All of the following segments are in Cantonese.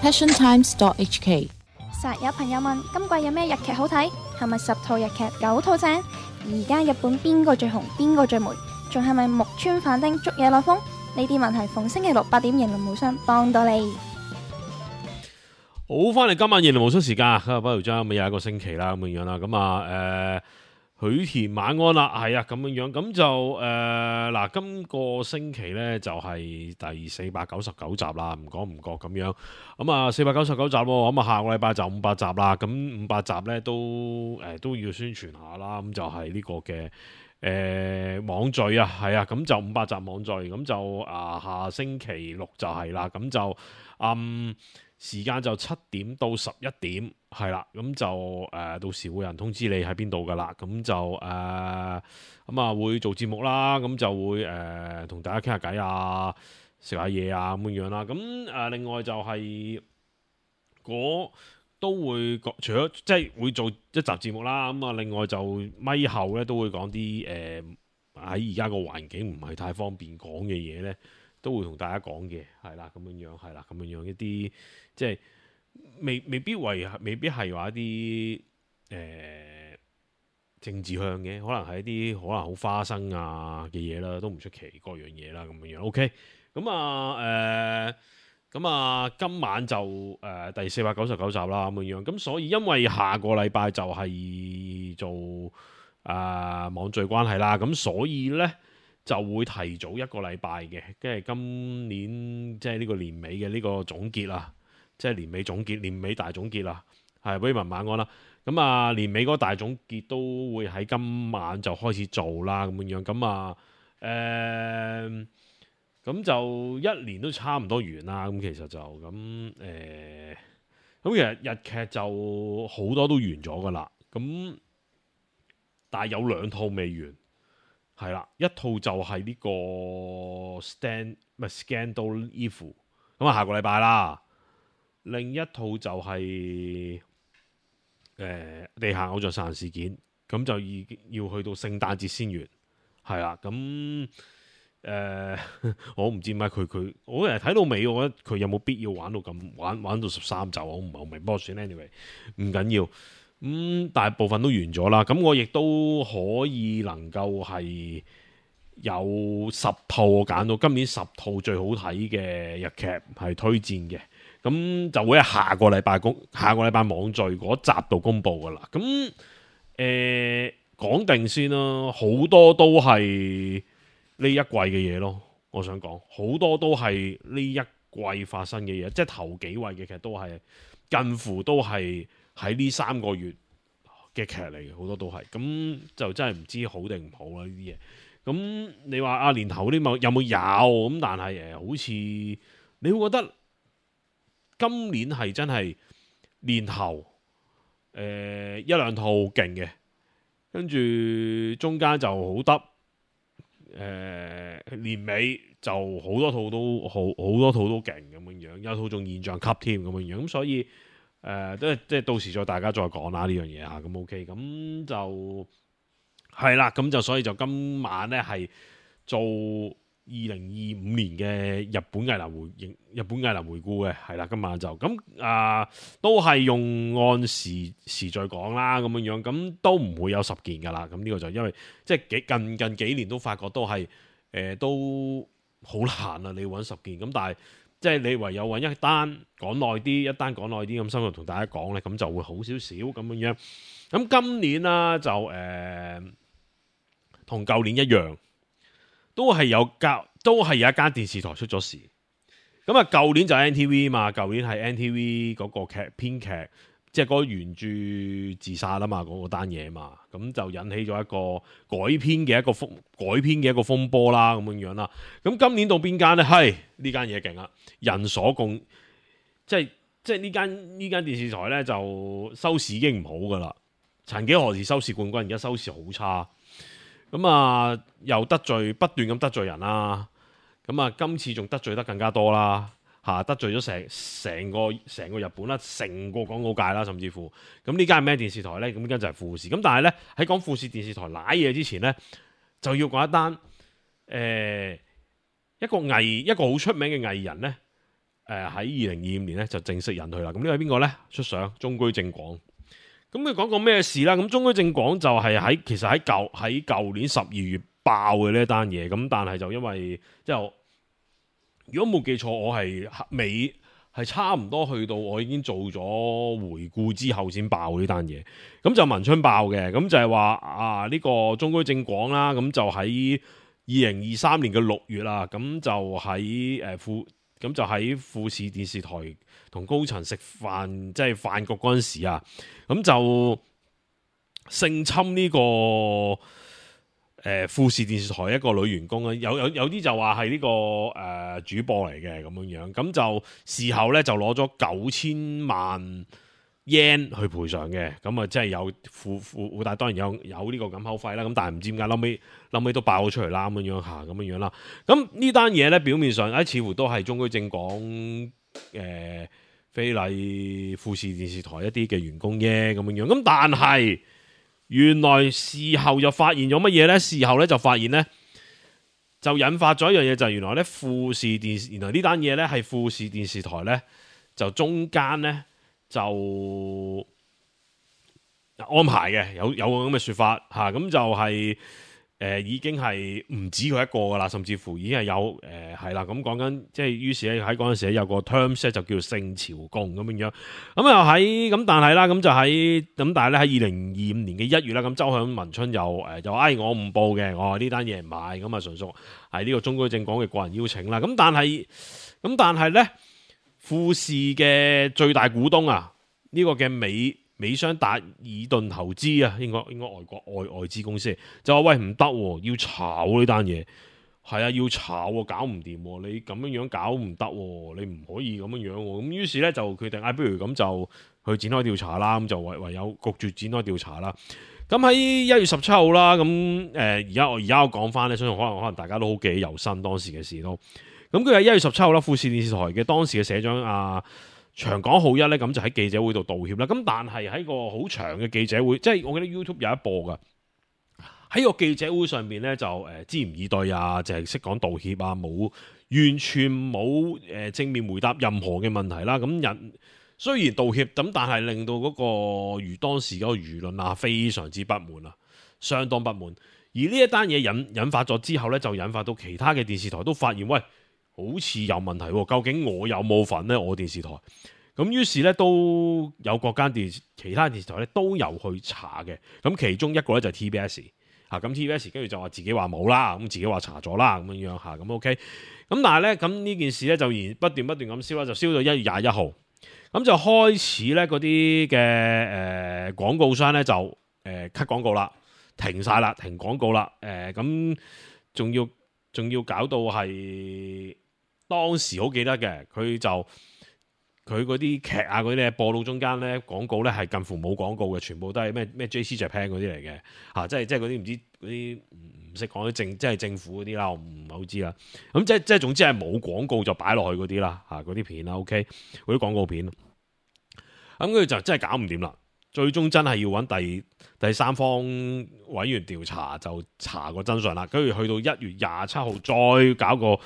passiontimes.hk。實有朋友問今季有咩日劇好睇？係咪10套日劇9套正？而家日本邊個最紅？邊個最霉？仲係咪木村反町捉嘢來風？呢啲問題逢星期六8點迎龍無雙幫到你。好，翻嚟今晚迎龍無雙時間，不如將咪又一個星期啦咁樣啦，咁啊許田晚安啦，係啊咁樣，咁就嗱，今個星期咧就係第499集啦，唔講唔覺咁樣，咁啊499集喎，咁啊下個禮拜就500集啦，咁500集咧都要宣傳下啦，咁就係呢個嘅網聚啊，係啊，咁就500集網聚，咁就下星期六就係啦，咁就時間就7點到11點，係啦，咁就到時會有人通知你喺邊度噶啦，咁就咁啊會做節目啦，咁就會同大家傾下偈啊，食下嘢啊咁樣啦，咁另外就係都會除咗即係會做一集節目啦，咁啊另外就咪後咧都會講啲喺而家個環境唔係太方便講嘅嘢咧，都會同大家講嘅，係啦咁樣，係啦咁樣一啲即係未必係話一啲政治向嘅，可能係一啲可能好花生啊嘅嘢啦，都唔出奇各樣嘢啦咁樣。OK，咁今晚就第499集啦咁樣。咁所以因為下個禮拜就係做網聚關係啦，咁所以呢，就會提早一個禮拜嘅，跟住今年即係呢個年尾嘅呢個總結啦，即係年尾總結、年尾大總結啦，係Raymond晚安啦。咁年尾嗰個大總結都會喺今晚就開始做啦，咁樣咁就一年都差唔多完啦。咁其實就咁其實日劇就好多都完咗噶啦，咁但係有2套未完。係啦，一套就係呢個 Scandal Eve， 咁下個禮拜啦。另一套就係地下偶像殺人事件，咁就要去到聖誕節先完。係啦，咁我唔知點解佢我睇到尾，我覺得佢有冇必要玩到13集，我唔係好明。不過算 anyway 唔緊要。大部分都完咗啦，咁我亦都可以能夠係有10套我揀到今年10套最好睇嘅日劇係推薦嘅，咁就會喺下個禮拜網聚嗰集度公佈噶啦。咁講定先啦，好多都係呢一季嘅嘢咯。我想講好多都係呢一季發生嘅嘢，即係頭幾位嘅劇都係近乎都係喺呢3個月嘅劇嚟嘅，好多都係，咁就真係唔知好定唔好啦呢啲嘢。咁你話年頭啲有冇有咁？但係好似你會覺得今年係真係年頭1-2套勁嘅，跟住中間就好得年尾就好多套都勁咁樣，有套仲現象級添咁樣，咁所以即係到時再大家再講啦呢樣嘢嚇，咁 OK， 咁就係啦，咁就所以就今晚咧係做2025年嘅日本藝能回顧嘅，係啦，今晚就咁都係用按時序講啦，咁樣，咁都唔會有10件噶啦，咁呢個就因為即係近幾年都發覺都係都好難啊，你要揾10件，咁但係即係你唯有揾一單講耐啲，一單講耐啲咁深入同大家講咧，咁就會好少少咁樣。咁今年啦就同舊年一樣，都係有一間電視台出咗事。咁舊年就 NTV 嘛，舊年係 NTV 嗰個編劇，即係嗰個原著自殺啦嘛，嗰單嘢嘛，咁就引起咗一個改編嘅一個風波啦，咁樣啦。咁今年到邊間呢？係呢間嘢勁啦，人所共，即係呢間電視台呢，就收視已經唔好噶啦。曾幾何時收視冠軍，而家收視好差。咁又不斷咁得罪人啦。咁今次仲得罪得更加多啦。得罪咗成個日本啦，成個廣告界啦，甚至乎咁呢間係咩電視台呢？咁呢間就係富士。咁但係呢，喺講富士電視台瀨嘢之前呢，就要講一單一個好出名嘅藝人呢，喺2025年咧就正式引退啦。咁呢位邊個咧？出相中居正廣。咁佢講過咩事啦？咁中居正廣就係其實喺舊年12月爆嘅呢一單嘢。咁但係就因為即係如果冇記錯，我係差唔多去到我已經做咗回顧之後先爆呢單嘢。咁就文春爆嘅。咁就係話呢個中居正廣啦。咁就喺2023年嘅6月啦。咁就喺富士電視台同高層食飯，即係飯局嗰陣時啊，咁就性侵呢個富士電視台一個女員工啊，有啲就話係呢個主播嚟嘅咁樣，咁就事後咧就攞咗9000萬 yen 去賠償嘅，咁啊即係有附帶當然有呢個咁口費啦，咁但係唔知點解後尾都爆咗出嚟啦咁樣啦，咁呢單嘢咧表面上似乎都係中居正廣非禮富士電視台一啲嘅員工啫咁樣，咁但係原來事後就發現咗乜嘢咧？事後咧就發現咧就引發咗一樣嘢，就係原來咧原來呢單嘢咧係富士電視台咧就中間咧就安排嘅，有個咁嘅說法吓，咁就係已經係唔止佢一個噶啦，甚至乎已經係有係啦，咁講緊即係於是咧喺嗰陣時咧有個 terms 咧就叫性朝貢咁樣，咁又喺咁但係啦，咁就喺咁但係咧喺2025年嘅1月啦，咁周響文春又我唔報嘅，我話呢單嘢唔係，咁啊純屬係呢個中居正廣嘅個人邀請啦，咁但係咧富士嘅最大股東啊，呢個嘅美商達爾頓投資啊，應該外國外資公司就話喂唔得，要炒呢單嘢，係啊要炒喎，搞唔掂喎，你咁樣搞唔得喎，你唔可以咁樣喎，咁於是咧就決定不如咁就去展開調查啦，咁就唯有焗住展開調查啦。咁喺1月17號啦，咁而家我講翻咧，相信可能大家都好記憶猶新當時嘅事都。咁佢喺1月17號啦，富士電視台嘅當時嘅社長長港浩一咧，咁就喺記者會度道歉啦。咁但係喺個好長嘅記者會，即係我記得 YouTube 有一播噶。喺個記者會上邊咧，就支吾以對啊，就係識講道歉啊，完全冇正面回答任何嘅問題啦。咁人雖然道歉，咁但係令到嗰個當時嗰個輿論啊非常之不滿啊，相當不滿。而呢一單嘢引發咗之後咧，就引發到其他嘅電視台都發現喂，好似有問題喎，究竟我有冇份呢？我電視台咁於是咧都有各間其他電視台咧都有去查嘅。咁其中一個咧就係 TBS 嚇，咁 TBS 跟住就話自己話冇啦，咁自己話查咗啦咁樣嚇，咁 OK。咁但係咧咁呢件事咧就不斷咁燒啦，就燒到1月21號，咁就開始咧嗰啲嘅廣告商咧就cut 廣告啦，停晒啦，停廣告啦，咁仲要搞到係。當時好記得嘅，佢嗰啲劇啊嗰啲咧播到中間咧廣告咧係近乎冇廣告嘅，全部都係咩 JC Japan 嗰啲嚟嘅嚇，即係嗰啲唔知嗰啲唔識講啲即係政府嗰啲啦，我唔係好知啦。咁即係總之係冇廣告就擺落去嗰啲啦嚇，嗰啲片啦 OK，嗰啲廣告片。咁佢就真係搞唔掂啦，最終真係要揾第三方委員調查，就查個真相啦。跟住去到1月27號再搞個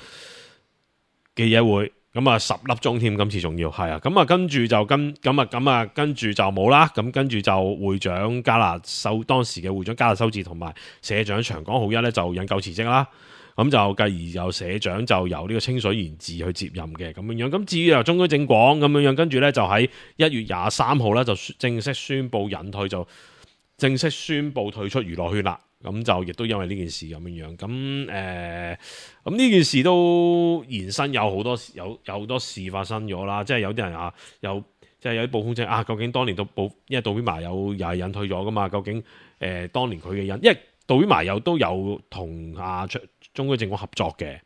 記者會，咁啊10粒鐘添，今次仲要係啊，咁啊跟住就跟住就冇啦，咁跟住就會長當時嘅會長加納修治同埋社長長港浩一咧就引咎辭職啦，咁就繼而有社長就由呢個清水賢治去接任嘅咁樣，咁至於由中居正廣咁樣，跟住咧就喺1月23號咧就正式宣布引退，就正式宣布退出娛樂圈啦。咁就亦都因為呢件事咁樣，咁咁呢件事都延伸有好多事發生咗啦，即係有啲人即係有啲報風稱究竟當年因為渡邊麻友又係引退咗噶嘛，究竟當年佢嘅因為渡邊麻友都有同中居正廣合作嘅，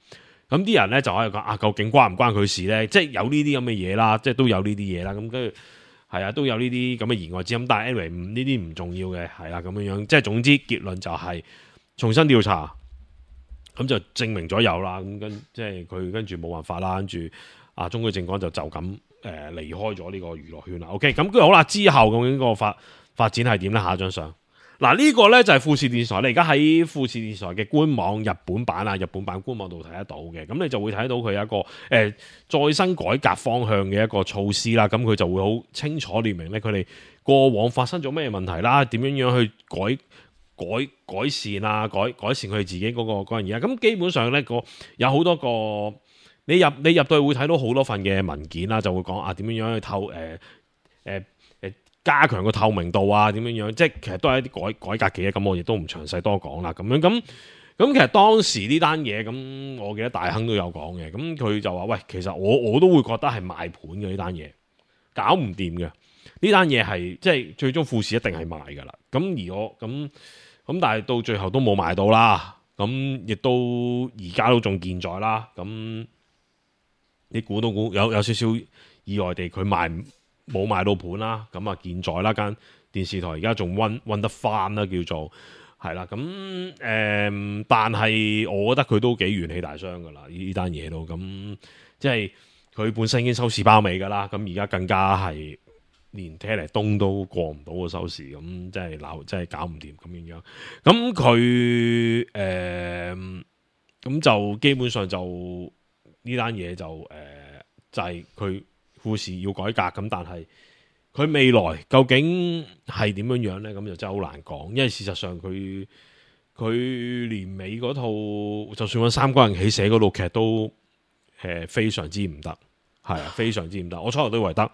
咁啲人咧就喺度講究竟關唔關佢事咧？即係有呢啲咁嘅嘢啦，即係都有呢啲嘢啦，咁跟住。係啊，都有呢啲咁嘅言外之音，但係 anyway 呢啲唔重要嘅，係啦咁樣，即係總之結論就係重新調查，咁就證明咗有啦，咁即係佢跟住冇辦法啦，跟住中居正廣就咁離開咗呢個娛樂圈啦。OK，咁跟住好啦，之後究竟個發展係點咧？下一張相嗱，呢個呢就係富士電視台，你而家喺富士電視台嘅官網日本版官網度睇得到嘅，咁你就會睇到佢有一個再生改革方向嘅一個措施啦，咁佢就會好清楚列明呢，佢哋過往發生咗咩問題啦，點樣去改善啊，改善佢哋自己嗰樣嘢，咁基本上呢，有好多個你入到去會睇到好多份嘅文件啦，就會講點樣去加強個透明度啊，點樣即係其實都係一啲改革嘅嘢，咁我亦都唔詳細多講啦。咁其實當時呢單嘢，咁我記得大亨都有講嘅，咁佢就話：喂，其實我都會覺得係賣盤嘅呢單嘢，搞唔掂嘅呢單嘢係即係最終富士一定係賣㗎啦。咁而我咁但係到最後都冇賣到啦。咁亦都而家都仲健在啦。咁你估有少少意外地佢冇賣到盤啦，咁啊健在啦，間電視台而家仲溫得翻啦，叫做係啦。咁但係我覺得佢都幾元氣大傷噶啦，呢單嘢都咁，即係佢本身已經收視包尾噶啦，咁而家更加係連車嚟東都過唔到個收視，咁即係搞唔掂咁樣。咁佢咁就基本上就呢單嘢就係佢。富士要改革咁，但係佢未來究竟係點樣呢？咁就真係好難講，因為事實上佢年尾嗰套，就算揾三個人起寫嗰套劇都非常之唔得，係啊，非常之唔得。我初頭都以為得，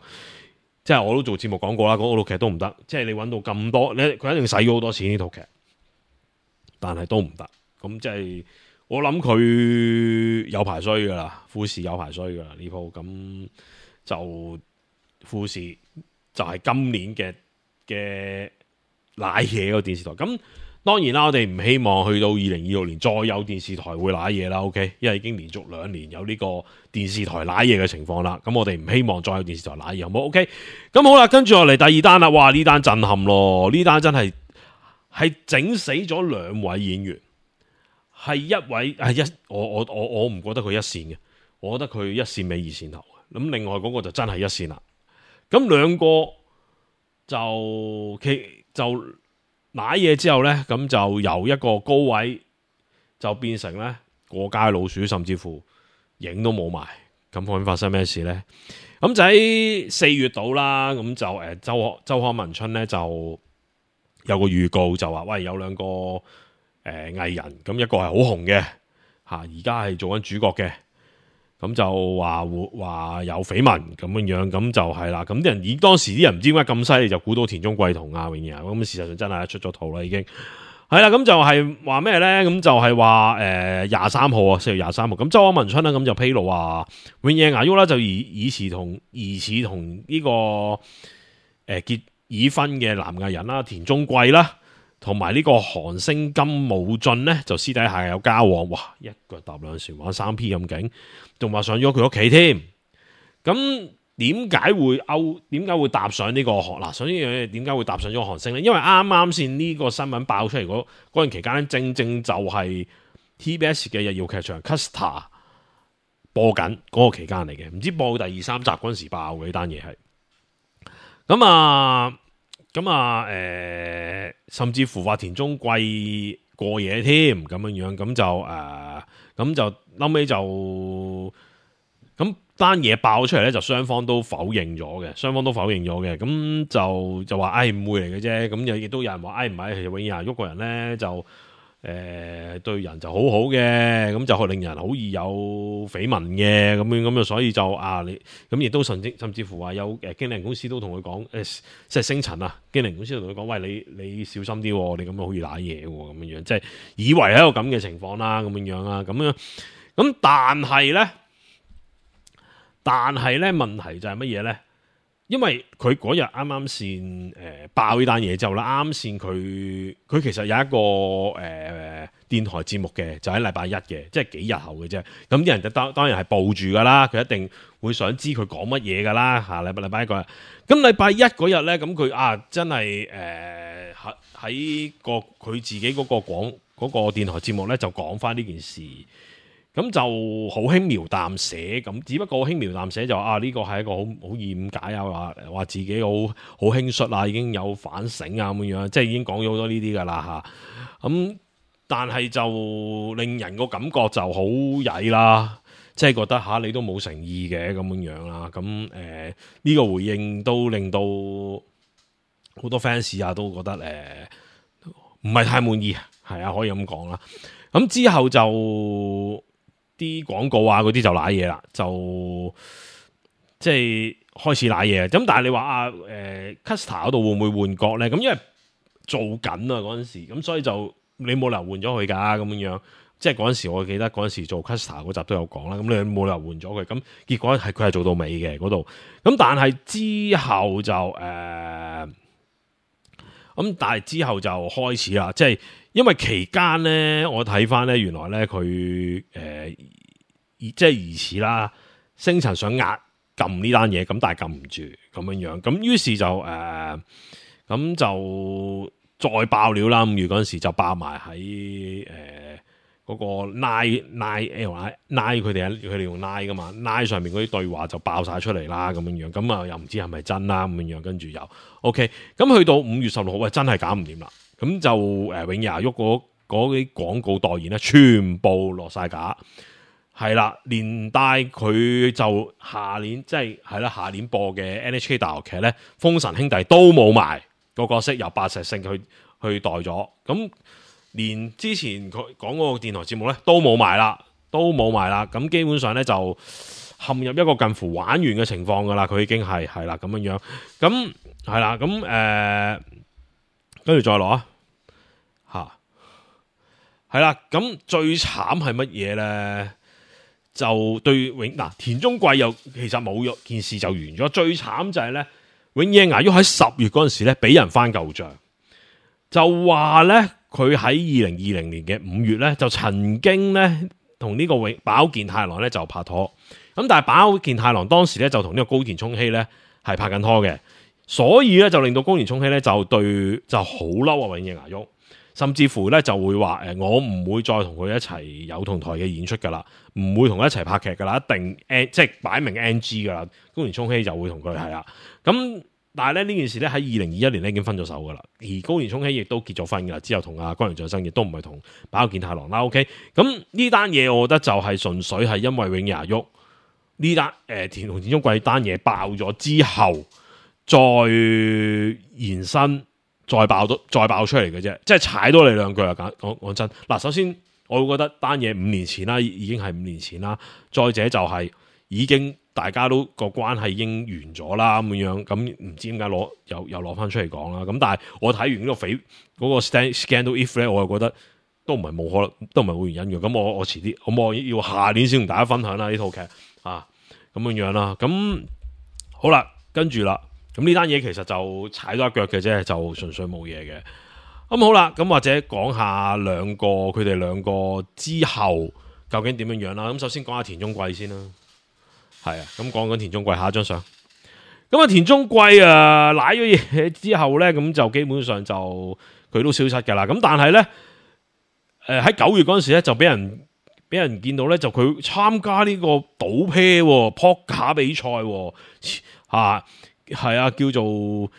即係我都做節目講過啦，嗰套劇都唔得。即係你揾到咁多，佢一定使咗好多錢呢套劇，但係都唔得。咁即係我諗佢有排衰噶啦，富士有排衰噶啦呢鋪咁。就富士就係今年嘅瀨嘢個電視台，咁當然啦，我哋唔希望去到2026年再有電視台會瀨嘢啦 ，OK， 因為已經連續2年有呢個電視台瀨嘢嘅情況啦，咁我哋唔希望再有電視台瀨嘢，好唔好 OK？ 咁好啦，跟住落嚟第二單啦，哇！呢單震撼咯，呢單真係整死咗2位演員，係一位我唔覺得佢一線嘅，我覺得佢一線尾二線頭。咁另外嗰個就真係一線啦，咁兩個就瀨嘢之後呢，咁就由一個高位就變成呢過街老鼠，甚至乎影都冇埋。咁究竟發生咩事呢？咁就喺4月度啦，咁就周刊文春呢，就有個預告就話，喂，有兩個藝人，咁一個係好紅嘅吓，而家係做緊主角嘅。咁就話有緋聞咁樣，咁就係啦。咁啲人當時啲人唔知點解咁犀利，就估到田中貴同阿永野，咁事實上真係出咗圖啦，已經係啦。咁就係話咩咧？咁就係話23號啊，4月23號。咁周刊文春啦，咁就披露話永野芽郁啦，就疑似同呢個已婚嘅男藝人啦，田中貴啦。同埋呢個韓星金武俊呢，就私底下有交往，哇！一腳踏兩船玩3P 咁勁，仲話上咗佢屋企添。咁點解會搭上呢個韓？嗱，首先樣嘢點解會搭上咗韓星呢？因為啱先呢個新聞爆出嚟嗰段期間咧，正正就係 TBS 嘅日曜劇場 Custer 播緊嗰個期間嚟嘅，唔知播到第2、3集嗰陣時爆嘅呢單嘢係。甚至乎話田中貴過夜添咁樣，咁就後尾就咁單嘢爆出嚟咧，就雙方都否認咗嘅，咁就話誤會嚟嘅啫，咁亦都有人話唔係，其實永野芽郁個人咧就對人就好好嘅，咁就令人好易有緋聞嘅咁所以就你咁亦都甚至乎話有經理人公司都同佢講即係星塵啊，經理人公司同佢講，喂，你小心啲，你咁樣好易瀨嘢咁樣，即係以為係一個咁嘅情況啦，咁樣啦，咁但係咧問題就係乜嘢咧？因為佢嗰日啱先爆呢單嘢之後啦，啱先佢其實有一個電台節目嘅，就喺禮拜一嘅，即係幾日後嘅啫。咁啲人就當然係報住噶啦，佢一定會想知佢講乜嘢噶啦嚇。禮拜一嗰日，咁禮拜一嗰日咧，咁佢真係喺佢自己嗰個電台節目咧，就講翻呢件事。咁就好輕描淡寫咁，只不過輕描淡寫就呢個係一個好易誤解啊，話自己好輕率啊，已經有反省啊咁樣，即係已經講咗好多呢啲噶啦嚇。咁但係就令人個感覺就好曳啦，即係覺得你都冇誠意嘅咁樣啦。咁呢個回應都令到好多 fans 都覺得唔係太滿意，係啊，可以咁講啦。咁之後就啲廣告嗰啲就瀨嘢啦，就即係開始瀨嘢。咁但係你話Custer 嗰度會唔會換角咧？咁因為做緊啊嗰陣時，咁所以就你冇理由換咗佢㗎咁樣。即係嗰陣時，我記得嗰陣時做 Custer 嗰集都有講啦。咁你冇理由換咗佢，咁結果佢係做到尾嘅嗰度。咁但係之後就但係之後就開始啦，即係因為期間咧，我睇翻咧，原來咧佢即係疑似啦，星塵想壓撳呢單嘢，咁但係撳唔住咁樣，咁於是就咁就再爆料啦。5月嗰陣時就爆埋喺嗰個 Line 佢哋用 Line 噶嘛，Line 上面嗰啲對話就爆晒出嚟啦，咁樣，咁啊又唔知係咪真啦咁樣，跟住又 OK， 咁去到5月16號，真係搞唔掂啦，咁就永夜牙喐嗰啲廣告代言咧，全部落晒架，係啦，連帶佢就下年下年播嘅 NHK 大學劇咧，《封神兄弟》都冇埋個角色，由白石聖去代咗，咁。連之前佢講嗰個電台節目咧都冇埋啦，咁基本上咧就陷入一個近乎玩完嘅情況噶啦，佢已經係啦咁樣，咁係啦，咁跟住再落係啦，咁最慘係乜嘢咧？就對田中貴又其實冇件事就完咗，最慘就係咧永野芽郁喺10月嗰陣時咧俾人翻舊賬，就話咧。佢喺2020年嘅5月咧，就曾經咧同呢個飽健太郎咧就拍拖，咁但係飽健太郎當時咧就同呢個高田充希咧係拍緊拖嘅，所以咧就令到高田充希咧就好嬲啊永野芽郁，甚至乎咧就會話我唔會再同佢一齊有同台嘅演出噶啦，唔會同佢一齊拍劇噶啦，一定即係擺明 NG 噶啦，高田充希就會同佢係啦，咁。但係咧呢件事咧喺2021年咧已經分咗手噶啦，而高田充希亦都結咗婚噶啦，之後同阿岡陽象生亦都唔係同飽健太郎啦。OK， 咁呢單嘢我覺得就係純粹係因為永野芽郁呢單田中貴單嘢爆咗之後，再延伸再爆出嚟嘅啫，即係踩多你兩句啊！講真，嗱，首先我會覺得單嘢5年前啦，已經係5年前啦，再者就係已經。大家都個關係已經完咗啦咁樣，咁唔知點解又攞翻出嚟講啦。咁但係我睇完呢個 Scandal If 咧，我又覺得都唔係冇可能，都唔係冇原因嘅。咁我遲啲，咁我要下年先同大家分享啦呢套劇啊，咁樣啦。咁好啦，跟住啦，咁呢單嘢其實就踩咗一腳嘅啫，就純粹冇嘢嘅。咁好啦，咁或者講下佢哋兩個之後究竟點樣啦。咁首先講下田中貴先啦。係啊，咁講緊田中貴，下一張相。咁啊，田中貴瀨咗嘢之後咧，咁就基本上就佢都消失噶啦。咁但係咧，喺9月嗰陣時咧，就俾人見到咧，就佢參加呢個賭啤撲克比賽，係啊，叫做我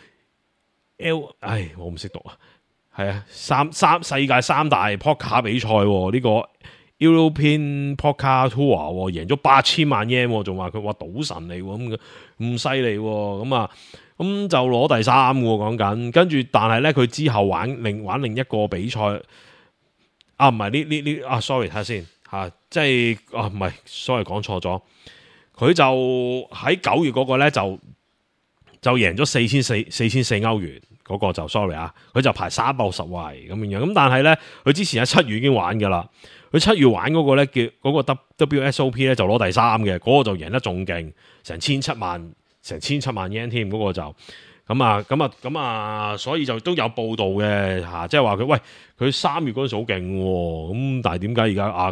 唔識讀啊，係啊，世界3大撲克比賽呢個。European Poker Tour 贏咗8000萬 yen， 仲話佢話賭神嚟喎，咁犀利喎，咁就攞第3喎講緊，跟住但係咧佢之後玩另一個比賽，唔係呢sorry 睇下先即係唔係 sorry 講錯咗，佢就喺9月嗰個咧就贏咗4400歐元嗰個就 sorry 佢就排360位咁樣，咁但係咧佢之前喺7月已經玩噶啦。佢7月玩嗰個咧叫嗰個 WSOP 咧就攞第3嘅，嗰個就贏得仲勁，成17萬 yen 添，嗰個就咁啊，所以就都有報道嘅即係話佢3月嗰陣時好勁喎，咁但係點解而家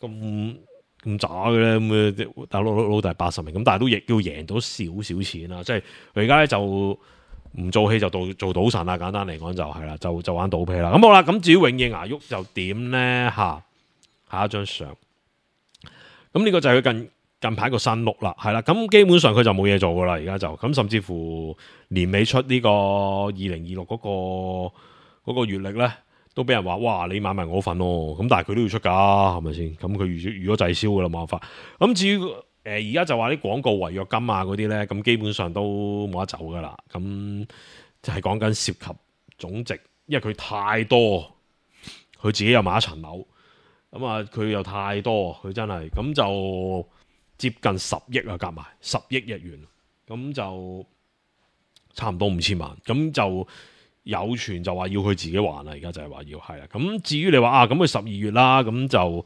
咁渣嘅咧？咁大佬第80名，咁但係都亦要贏到少錢啦，即係佢而家咧就。唔做戲就做賭神啦，簡單嚟講就係啦，就玩賭啤啦。咁好啦，咁至於永野芽郁就點咧？下一張相咁呢個就係佢近排個新碌啦，係啦。咁基本上佢就冇嘢做噶啦，而家就咁，甚至乎年尾出呢個2026嗰個月曆咧，都俾人話哇，你買埋我份咯。咁但係佢都要出㗎，係咪先？咁佢預咗滯銷㗎啦，冇辦法。咁至於而家就話啲廣告違約金啊嗰啲咧，咁基本上都冇得走㗎啦。咁就係講緊涉及總值，因為佢太多，佢自己又買一層樓，咁啊佢又太多，佢真係咁就接近10億啊，夾埋10億日元，咁就差唔多5000萬，咁就。有傳就話要佢自己還啦，而家就係話要係啦。咁至於你話啊，咁佢12月啦，咁就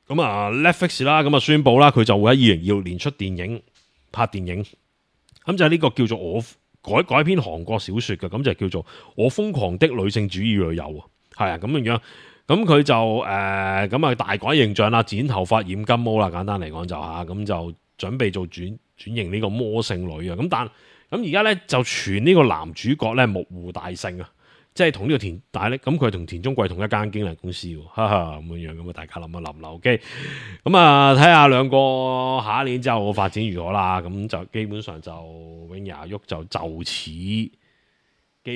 咁啊 Netflix 啦，咁啊宣佈啦，佢就會喺2026年出電影拍電影。咁就係呢個叫做我改編韓國小說嘅，咁就叫做我瘋狂的女性主義女友啊，係啊咁樣。咁佢就咁啊大改形象啦，剪頭髮染金毛啦，簡單嚟講就嚇，咁就準備做轉型呢個魔性女啊。咁而家咧就傳呢個男主角咧木戶大聖啊，即係同呢個但係咧咁佢係同田中貴同一間經紀公司喎，哈哈咁樣咁啊，大家諗一諗啦 ，OK，咁啊睇下兩個下一年之後發展如何啦，咁就基本上就永牙喐就此基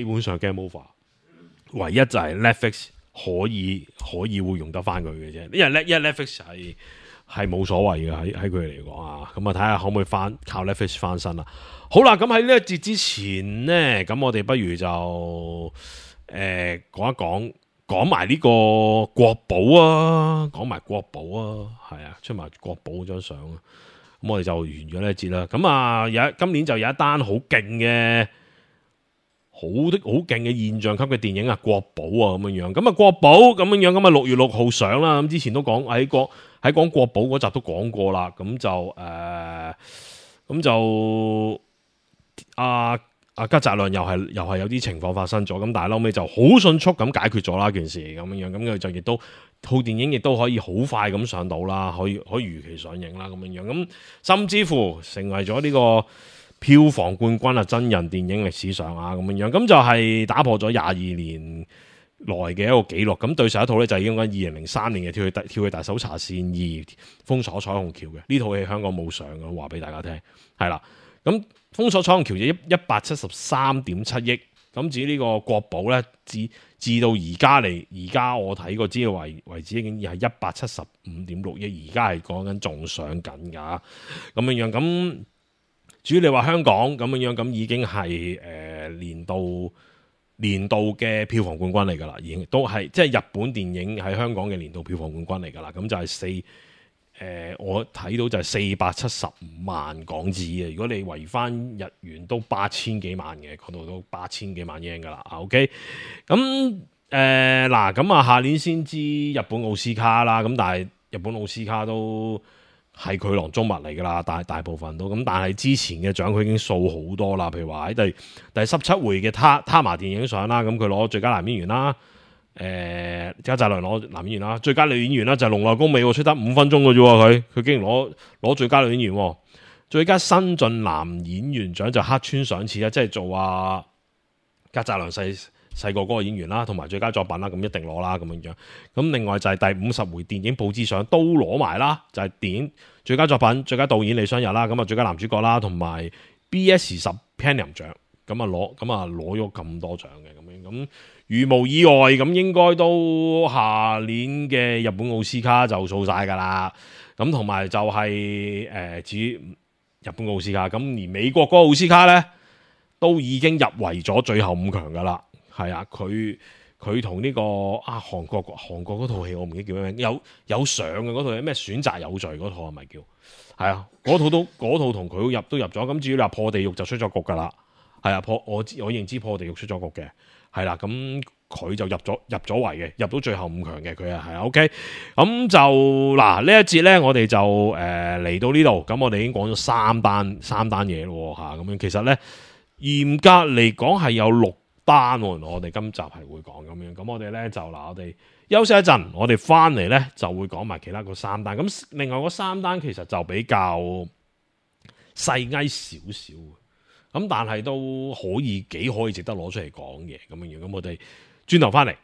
本上 game over， 唯一就係 Netflix 可以會用得翻佢嘅啫，因為 Netflix 係冇所謂嘅喺佢哋嚟講啊，咁啊睇下可唔可以靠 Netflix 翻身啦。好啦，咁喺呢一節之前呢，咁我哋不如就講埋呢個國寶啊，講埋國寶啊，係啊，出埋國寶嗰張相啊，咁我哋就完咗呢一節啦。咁啊，今年就有一單好勁嘅現象級嘅電影啊，國寶啊咁樣樣。咁啊，國寶咁樣樣，咁啊6月6號上啦。咁之前都講喺講國寶嗰集都講過啦。咁就吉澤亮又係有啲情況發生咗，咁但係後尾就好迅速咁解決咗啦件事咁樣樣，咁佢就亦都套電影亦都可以好快咁上到啦，可以如期上映啦咁樣樣，咁甚至乎成為咗呢個票房冠軍啊，真人電影歷史上啊咁樣樣，咁就係打破咗22年來嘅一個紀錄。咁對上一套咧就係應該2003年嘅跳去大搜查線2封鎖彩虹橋嘅，呢套戲香港冇上嘅，話俾大家聽係啦。咁封鎖彩虹橋就173.7億，咁至於呢個國寶咧，至到而家我睇過資料為止已經係175.6億，而家係講緊仲上緊噶咁樣樣。咁至於你話香港咁樣樣，咁已經係年度嘅票房冠軍嚟噶啦，已經都係即係日本電影喺香港嘅年度票房冠軍嚟噶啦。咁就係我睇到就係475萬港紙嘅，如果你圍翻日元都8000幾萬嘅，嗰度都8000幾萬英噶啦。OK， 咁咁啊，下年先知日本奧斯卡啦。咁但係日本奧斯卡都係佢囊中物嚟噶啦，大部分都咁。但係之前嘅獎佢已經掃好多啦，譬如話喺第17回嘅他麻電影獎啦，咁佢攞最佳男演員啦。吉澤亮攞男演員啦，最佳女演員啦就係瀧內恭美，出得5分鐘嘅啫，佢竟然攞最佳女演員，最佳新晉男演員獎就黑川賞次啦，即係做吉澤亮細個嗰個演員啦，同埋最佳作品啦，咁一定攞啦咁樣樣。咁另外就係第50回電影報紙獎都攞埋啦，就係電影最佳作品、最佳導演李相日啦，咁啊最佳男主角啦，同埋 BS10 Panam 獎，咁攞咗咁多獎嘅咁樣咁。如無意外，咁應該都下年嘅日本奧斯卡就掃晒㗎啦。咁同埋就係至於日本奧斯卡，咁而美國嗰個奧斯卡呢，都已經入圍咗最後5強㗎啦。係啊，佢同呢個韓國嗰套戲我唔記得叫咩名，有上嘅嗰套係咩選擇有罪嗰套係咪叫？係啊，嗰套同佢都入咗。咁至於你話破地獄就出咗局㗎啦。係啊，我認知破地獄出咗局嘅。係啦，咁佢就入咗圍嘅，入到最後5強嘅佢係 OK。咁就嗱呢一節咧，我哋就嚟到呢度，咁我哋已經講咗三單嘢咯嚇，咁樣其實咧嚴格嚟講係有6單喎，我哋今集係會講咁樣。咁我哋咧就我哋休息一陣，我哋翻嚟咧就會講埋其他嗰3單。咁另外嗰3單其實就比較細翳少少。咁但係都幾可以值得攞出嚟講嘅咁樣樣，咁我哋轉頭翻嚟